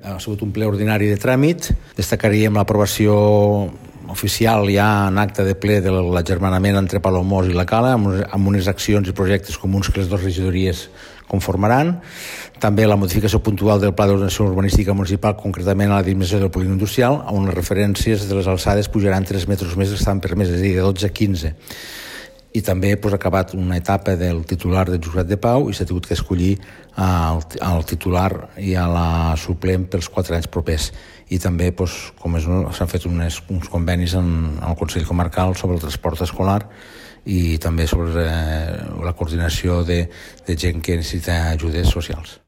Ha sigut un ple ordinari de tràmit. Destacaríem l'aprovació oficial ja en acte de ple de l'agermanament entre Palamós i la Cala, amb unes accions i projectes comuns que les dues regidories conformaran. També la modificació puntual del Pla d'Ordenació Urbanística Municipal, concretament a la dimensió del polígon industrial, on les referències de les alçades pujaran 3 metres més que estaven permeses, és a dir, de 12 a 15. I també ha acabat una etapa del titular del Jutjat de Pau i s'ha hagut que escollir el titular i a la suplent pels 4 anys propers. I també, com s'han fet uns convenis en el Consell Comarcal sobre el transport escolar i també sobre la coordinació de gent que necessita ajudes socials.